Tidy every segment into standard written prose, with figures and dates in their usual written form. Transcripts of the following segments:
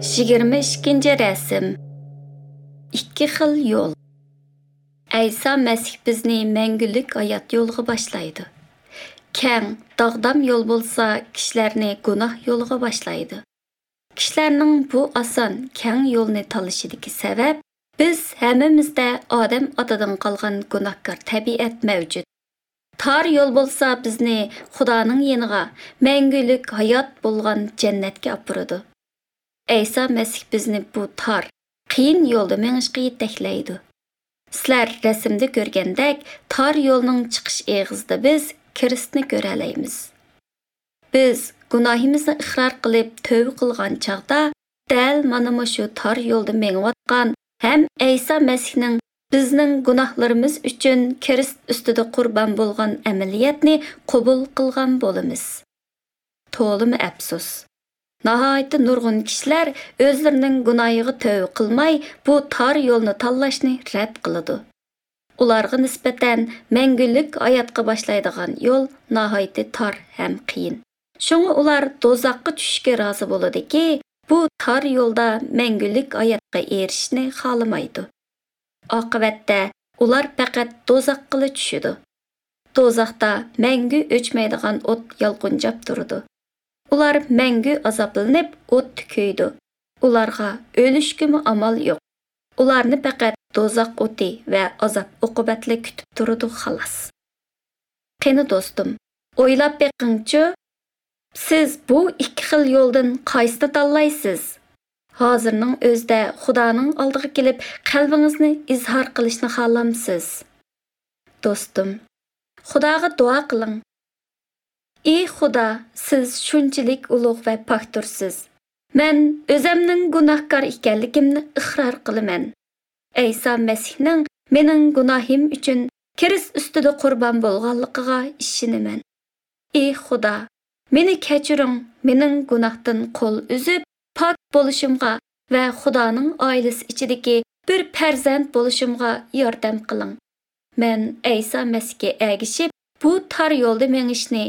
22-rasm. Ikki xil yo'l. Ayso Masih bizni mangulik hayot yo'liga boshlaydi. Keng, dog'dam yo'l bo'lsa, kishilarni gunoh yo'liga boshlaydi. Kishilarning bu oson, keng yo'lni tanlashidagi sabab biz hammamizda odam otadan qolgan gunohkor tabiat mavjud. Tor yo'l bo'lsa bizni Xudoning yeniga, mangulik hayot bo'lgan jannatga opiradi. Ayso Masih bizni bu tor, qiyin yo'lda mengishga yetaklaydi. Sizlar rasmda ko'rgandek, tor yo'lning chiqish eg'izida biz Kristni ko'ra olamiz. Biz gunohimizni iqror qilib tövbe qilgan chaqda dal mana shu tor yo'lda mengayotgan ham Ayso Masihning bizning gunohlarimiz uchun Krist ustida qurbon bo'lgan amaliyatni qabul qilgan bo'lamiz. To'limi afsus. Nihoyatda nurg'un kishilar o'zlarining gunohiga tövbe qilmay, bu tor yo'lni tanlashni rad qiladi. Ularga nisbatan mangulik hayotga boshlaydigan yo'l nihoyatda tor ham qiyin. Shunga ular do'zaxga tushishga rozi bo'ladiki, bu tor yo'lda mangulik hayotga erishishni xohlamaydi. Oqibatda ular faqat do'zaxga tushadi. Do'zaxda mangu o'chmaydigan o't yalqinjab turadi. Ular mangu azoblanib o't kuydi. Ularga o'lishgimi amal yo'q. Ularni faqat do'zax o'ti va azob uqubatli kutib turadi xolos. Qani do'stim, o'ylab beqingchi, siz bu ikki xil yo'ldan qaysini tanlaysiz? Hozirning o'zida Xudoning oldiga kelib qalbingizni izhor qilishni xohlamsiz. Do'stim, Xudoga duo qiling. Ey Xudo, siz shunchalik ulug' va poktursiz. Men o'zimning gunohkor ekanligimni iqror qilaman. Ayso Masihning mening gunohim uchun Krist ustida qurbon bo'lganligiga ishonaman. Ey Xudo, meni kechiring, mening gunohdan qo'l uzib pok bo'lishimga va Xudoning oilasi ichidagi bir farzand bo'lishimga yordam qiling. Men Ayso Masihga ergishib, bu tor yo'lda mengishni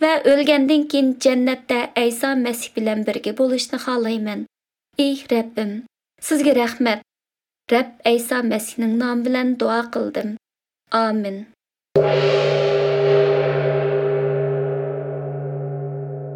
va o'lgandan keyin jannatda Ayso Masih bilan birga bo'lishni xohlayman. Ey Rabbim, sizga rahmat. Rab Ayso Masihning nomi bilan duo qildim. Amin.